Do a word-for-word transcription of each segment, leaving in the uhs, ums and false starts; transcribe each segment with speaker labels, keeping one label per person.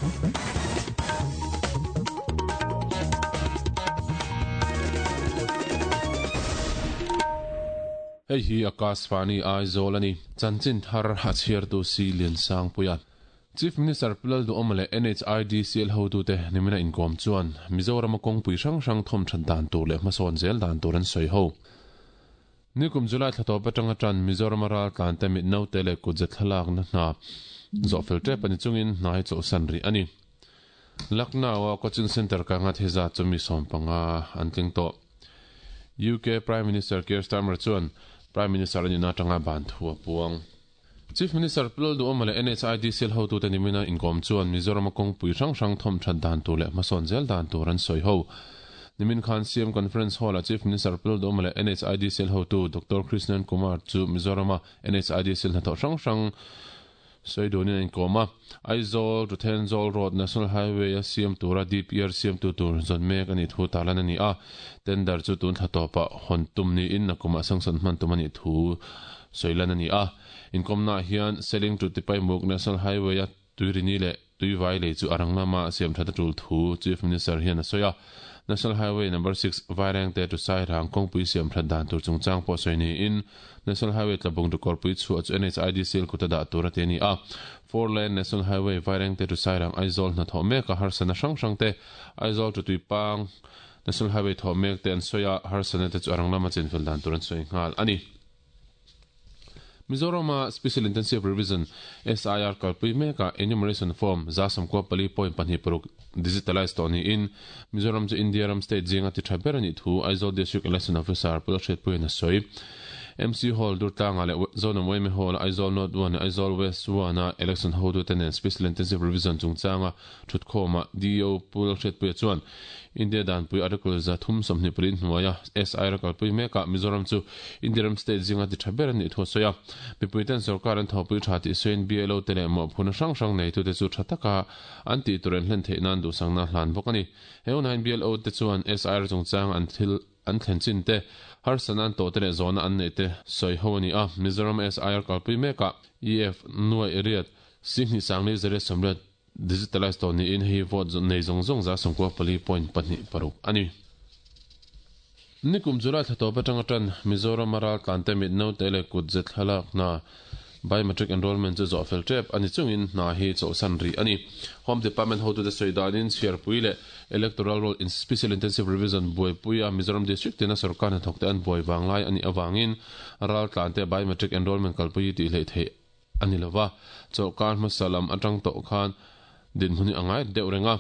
Speaker 1: Hei hi Akashvani Aizawl ani chanchin thar a chhiartu si Liansangpuia. Chief Minister Pu Lalduhoma leh N H I D C L hotute nimina inkawm chuan Mizoram a kawngpui hrang hrang thawm that dan tur leh hmasawn zel dan tur an sawi ho. Nikum July thla tawp atanga tan Mizoram a ral tlante mit naute leh kutze thlalakna hna zawh fel tep ani chungin hna hi chawlhsan rih ani. Lucknow a coaching center ka nga theza chu mi sawm panga an tling tawh. U K Prime Minister Keir Starmer chuan Prime Minister ani na tanga ban thu a puang. Chief Minister Pu Lalduhoma leh N H I D C L hotute nimina inkawm chuan Mizoram a kawngpui hrang hrang thawm that dan tur leh hmasawn zel dan tur an sawi ho. Nimin khan C M Conference Hall a Chief Minister Pu Lalduhoma leh N H I D C L hotu Doctor Krishnan Kumar chu Mizoram a N H I D C L hnathawh hrang hrang sawi dunin a inkawm a. Aizawl to Thenzawl Road National Highway a siam tura D P R siam tu tur zawn mek ani thu tarlan ani a. Tender chu tun thla tawpah hawn tum niin nakumah sanction hman tum ani thu sawilan ani a. Inkawmna hian Seling to Tipaimuk National Highway a tuirini leh tuivai lei chu arang lama siam that a tul thu Chief Minister hian a sawi a. National Highway number six Vairengte to Sairang kawngpui siam that dan tur chungchang pawh sawi niin National Highway Tlabung to Kawrpuichhuah chu N H I D C L kuta dah tur a ti ani a. Four lane National Highway Vairengte to Sairang Aizawl hnathawh mek a harsana hrang hrang te, Aizawl to Tuipang National Highway thawh mek te an sawi a, harsana te chu arang lama chinfel dan tur an sawi nghal ani. Mizoram Special Intensive Revision S I R kalpui meka enumeration form za sawmkua pali point pahnih paruk digitalize tawh niin Mizoram chu India ram state zinga ti tha ber ani thu Aizawl District Election Officer Pu Lalhriatpuiin a sawi. M C Hall Durtlanga leh Zonam Y M A Hall Aizawl North one Aizawl West one a election hotute nen Special Intensive Revision chungchanga thutkhawma D E O Pu Lalhriatpuia chuan India danpui Article za thum sawmhnih pali hnuaia S I R kalpui meka Mizoram chu India ram state zinga ti tha ber ani thu a sawi a. Mipuiten sarkar an thawpui tha tih sawiin B L O te leh mawhphurhna hrang hrang nei tute chu tha taka an tih tur an hlen theih nan duhsakna hlan bawk ani. He hunah B L O te chuan S I R chungchang an thil an thlen chin te, harsana an tawh te leh zawhna an nei te sawi ho ani a. Mizoram S I R kalpui meka E F nuai riat singhnih sangli zariat sawmriat digitalize tawh niin hei vote nei zawng zawng za sawmkua pali point pahnih paruk ani. Nikum July thla tawp atanga tan Mizoram a ral tlante mit naute leh kutze thlalakna biometric enrollment chu zawh fel tep ani chungin hna hi chawlhsan rih ani. Home Department hotute sawi danin chhiarpui leh Electoral Roll in Special Intensive Revision buaipui a Mizoram District tina sarkar hnathawk te an buai vanglai ani awangin ral tlante biometric enrollment kalpui tih hleih theih ani lova. Chawlhkar hmasa lam atang tawh khan dinhmun hi a ngai deuh reng a.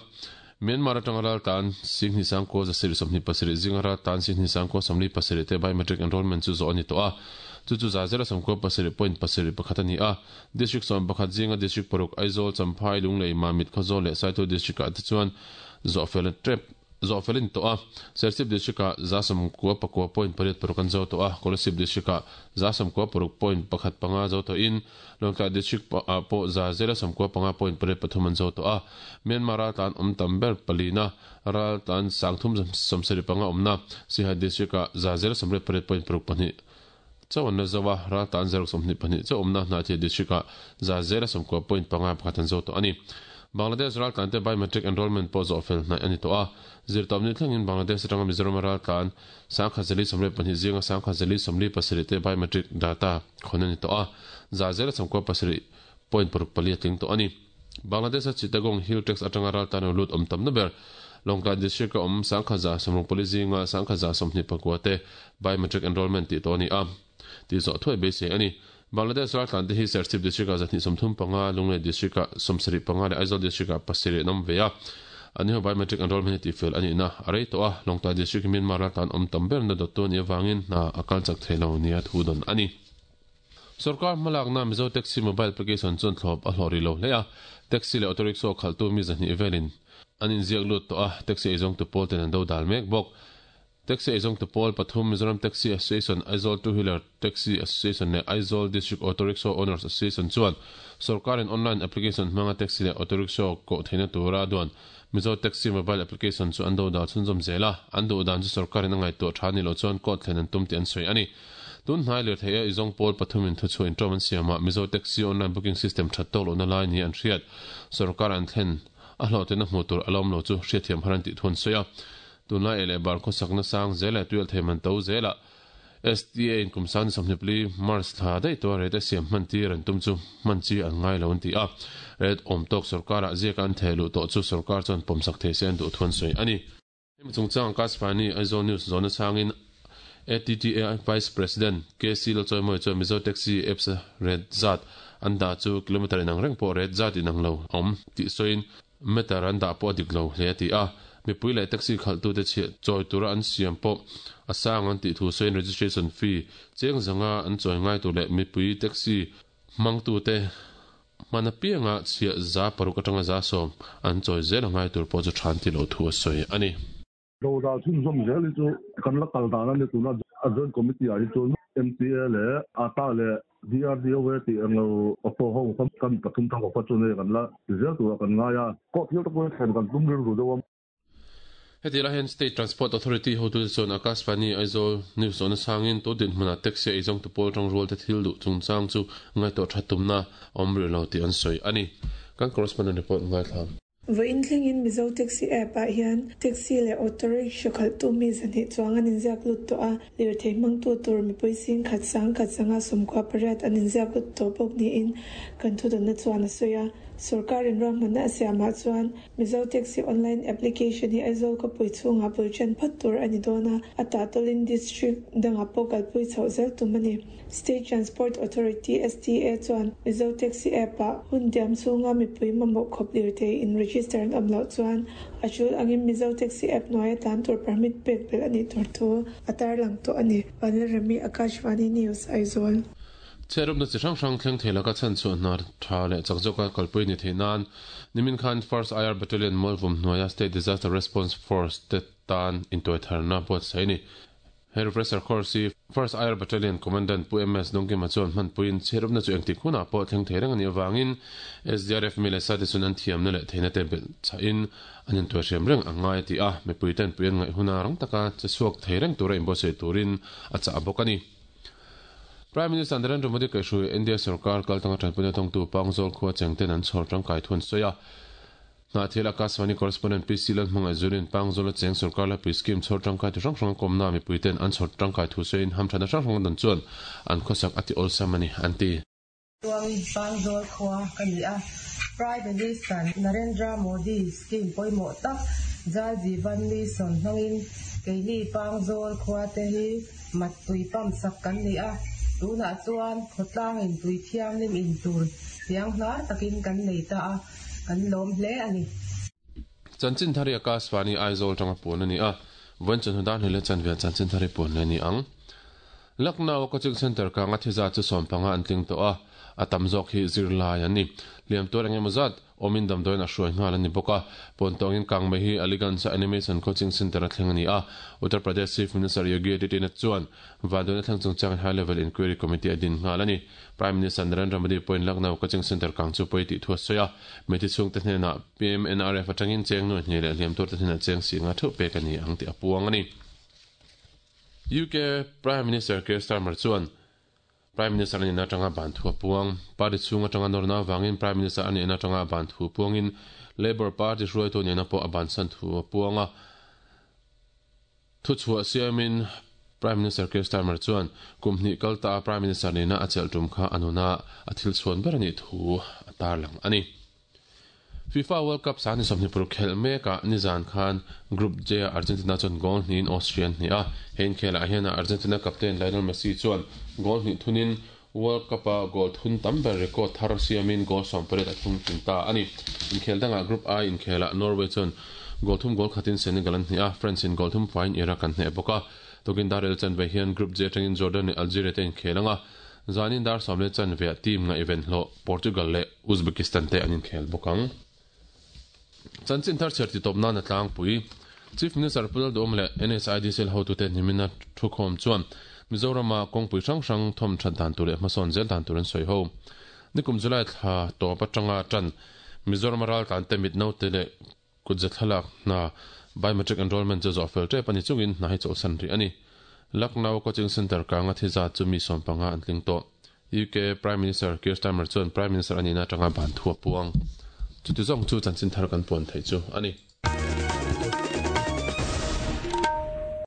Speaker 1: Myanmar atanga ral tlan singhnih sangkaw zasarih sawmhnih pasarih zinga ral tlan singhnih sangkaw sawmli pasarih te biometric enrollment chu zawh ani tawh a, chu chu za zela sawmkua pasarih point pasarih pakhat ani a. District sawm pakhat zinga district paruk Aizawl, Champhai, Lunglei, Mamit, Khawzawl leh Saitual district ah te chuan zawh fel tep zawh felin tawh a. Serchhip district ah za sawmkua pakua point pariat paruk an zo tawh a, Kolasib district ah za sawmkua paruk point pakhat panga zo tawhin Lawngtlai district ah pawh za zela sawmkua panga point pariat pathum an zo tawh a. Myanmar ral tlan awm tam ber palina ral tlan sangthum sawmsarih panga awmna Siaha district ah za zela sawmriat pariat point paruk pahnih chauh an la zo a, ral tlan zaruk sawmhnih pahnih chauh awmna Hnahthial district ah za zela sawmkua point panga pakhat an zo tawh ani. Bangladesh ral tlante biometric enrollment pawh zawh fel hnaih ani tawh a. Zirtawpni thlengin Bangladesh atanga Mizoram ral tlan sangkhat zali sawmriat pahnih zinga sangkhat zali sawmli pasarih te biometric data khawn ani tawh a, za zela sawmkua pasarih point paruk pali a tling tawh ani. Bangladesh a Chittagong Hill Tracts atanga ral tlan lut awm tam na ber Lawngtlai district a awm sangkhat za sawmruk pali zinga sangkhat za sawmhnih pakua te biometric enrollment tih tawh ani a, tih zawh thuai beisei ani. Bangladesh ral tlan te hi Serchhip district ah zahnih sawmthum panga, Lunglei district ah sawmsarih panga leh Aizawl district ah pasarih an awm ve a. Ani ho biometric enrollment hi tihfel ani na a rei tawh a, Lawngtlai district hi Myanmar ral tlan awm tam ber na dawttu ani avangin hna a kal chak thei lo nia thu dawn ani. Sarkar hmalakna Mizo Taxi mobile application chuan thlawp a hlawh rih lo hle a, taxi leh auto rickshaw khalhtu mi zahnih velin an inziak lut tawh a, taxi eizawngtu pawl ten an do dal mek bawk. Taxi eizawngtu pawl pathum Mizoram Taxi Association, Aizawl Two Wheeler Taxi Association leh Aizawl District Auto Rickshaw Owners Association chuan sarkarin online application hmanga taxi leh auto rickshaw koh theihna tura duan Mizo Taxi mobile application chu an do dal chhunzawm zel a, an duh dan chu sarkarin a ngaihtuah tha ni lo chuan court thlen an tum tih an sawi ani. Tun hnai lirthei a izawng pawl pathumin thuchhuah intawm an siamah Mizo Taxi online booking system that tawk lohna lai ni an hriat sarkar an thlen a hlawhtlin na hmuh tur a la awm lo chu hriatthiam har an tih thu an sawi a. Tunlai ei leh bar khawsakna sang zel leh tuialh thei man to zelah S T A in kum sang ni sawmhnih pali March thla daih tawha rate a siam hman tir an tum chu hman chi an ngai lo an ti a. Rate awm tawk sorkarah ziaka an theh luh tawh chu sorkar chuan pawmsak thei se an duh thu an sawi a ni. Hemi chungchang Akashvani Aizawl News zawhna chhangin A T T A Vice President K C Lalchawimawi chuan Mizo Taxi Apps a rate zat an dah chu kilometre inang reng pawh rate zat inang lo a awm tih sawiin meter an dah pawh a dik lo hle a ti a. Mipui leh taxi khalhtute chhiah chawi tura an siam pawh a sang an tih thu sawiin registration fee cheng zanga an chawi ngai tur leh mipui taxi hmangtute hman apianga chhiah za paruk atanga za sawm an chawi zel a ngai tur pawh chu tha an ti lo thu a sawi a ni.
Speaker 2: Dodal chhunzawm zel hi chu kan la kal dan a ni. Tuna a joint committee ah hi chuan M T A leh A T A leh D R D O tih englo auto ho kan pathum thang kha chu nei kan la ti zel turah kan ngai a, kawh thil te pawh hi thlen kan tum rilru deuh a.
Speaker 1: Heti lai hian State Transport Authority hotute chuan Akashvani Aizawl News zawhna chhangin tu dinhmunah taxi a eizawng tu pawl tang rual te thil duh chungchang chu ngaihtuah that tumna a awm rih lo tih an sawi a ni. Kan correspondent report ngaithla.
Speaker 3: Vawiin thlengin Mizo Taxi app ah hian taxi leh auto rickshaw khalhtu mi zahnih chuang an inziak lut tawh a, lirthei hmangtu tur mipui sing khat sang khat zanga sawmkua pariat an inziak lut tawh bawk niin kan thudawnna chuan a sawi a. Sorkarin ruahmanna a siamah chuan Mizo Taxi online application hi Aizawl khawpui chhungah bul ṭan phawt tur a ni dawn a, a tahtawlin district dangah pawh kalpui chhoh zel tum a ni. State Transport Authority S T A chuan Mizo Taxi app ah hun diam chhunga mipui mamawh khawp lirthei in register an awm loh chuan a tul angin Mizo Taxi app hnuaia tlan tur permit pek belh a nih tur thu a tarlang tawh a ni. Vanlalremi, Akashvani News, Aizawl.
Speaker 1: Chhiatrupna chi hrang hrang thleng thei laka chhan chhuah hna tha leh chak zawka kalpui ni theih nan nimin khan First I R Battalion Mualvum hnuaia State Disaster Response Force te tan intuaitharna buatsaih a ni. He refresher course hi First I R Battalion Commandant Pu M S Dawngkima chuan hmanpuiin chhiatrupna chu engtik hunah pawh thleng thei reng a nih avangin S D R F mi leh sa te chuan an thiamna leh theihna te belh chahin an intuaihriam reng a ngai a ti a, mipui ten pui an ngaih huna rang taka che chhuak thei reng tura inbuatsaih turin a chah bawk a ni. Prime Minister Narendra Modi kaihhruai India sarkar kaltanga tanpuina thawngtu Pangzawl khua chengten an chhawr tangkai thu an sawi a. Hnahthial Akashvani correspondent P C Lalhmangaih Zulin Pangzawl a cheng sarkar laipui scheme chhawr tangkai tu hrang hrang kawmna mipuiten an chhawr tangkai thu sawiin hamthana hrang hrang dan chuan an khawsak a ti awlsam a ni an ti.
Speaker 4: Chuangin Pangzawl khua ka ni a, Prime Minister Narendra Modi scheme pawimawh tak Jal Jeevan Mission hmangin keini Pangzawl khua te hi mat tui pump sak kan ni a, tunah chuan khawtlangin tui thianghlim in tur thiang hnar takin kan nei ta a, kan lawm hle a ni.
Speaker 1: Chanchin thari Akashvani Aizawl tanga puan a ni a, vawiin chawhnu dar hnih leh chanve chanchin thari puan le ni ang. Lucknow Coaching Center kanga thi zat chu sawm panga an tling tawh a, a tam zawk hi zirlai an ni. Hliam tuar eng emaw zat awmin damdawiin a hruai nghal a ni bawk a. Pawntawngin kangmei hi Aliganj Animation Coaching Center a thleng a ni a. Uttar Pradesh Chief Minister Yogi Adityanath chuan vanduaina thleng chungchangin High Level Inquiry Committee a din nghal a ni. Prime Minister Narendra Modi pawhin Lucknow Coaching Center kang chu pawi tih thu a sawi a. Mitthi chhungte hnenah P M N R F atangin cheng nuai hnih leh hliam tuarte hnenah cheng singa theuh pek a ni ang tih a puang a ni. U K Prime Minister Keir Starmer chuan Prime Minister ani na tanga ban thu a puang. Party chhung atanga nawrna avangin Prime Minister ani na tanga ban thu puangin Labour Party hruaitu ni na pawh a ban san thu a puang a. Thu chhuah siamin Prime Minister Keir Starmer chuan kum hnih kalta a Prime Minister ni na a chelh tum kha anuna a thil chhuan ber ani thu a tarlang ani. FIFA World Cup sangni sawmhnih paruk khelh mekah nizan khan Group J a Argentina chuan goal hnihin Austria an hnih a. He inkhelah hian Argentina captain Lionel Messi chuan goal hnih thunin World Cup a goal thun tam ber record thar siamin goal sawm pariat a thung tling ta a ni. Inkhel dangah Group I inkhelah Norway chuan goal thum goal khatin Senegal an hnih a, France in goal thum faiin Iraq an hneh bawk a. Tukin dar riat chanve hian Group J atangin Jordan leh Algeria te inkhel anga, zanin dar sawm leh chanve ah team nga event hlawh Portugal leh Uzbekistan te an inkhel bawk ang. Chanchin thar chhiar ti tawp nan a tlangpui. Chief Minister Pu Lalduhawm leh N H I D C L hotute nimina thukhawm chuan Mizorama kawngpui hrang hrang thawm that dan tur leh hmasawn zel dan tur an sawi ho. Nikum July thla tawp atanga tan Mizorama raltlan te mit naute leh kutze thlalak hna biometric enrollment chu zawh fel tep ani chungin hna hi chawlhsan rih a ni. Lucknow Coaching Center kanga thi zat chu mi sawm panga an tling tawh. U K Prime Minister Keir Starmer chuan Prime Minister ani na tanga ban thu a puang. Chuti zawng chu chanchin thar kan puan theih chu a ni.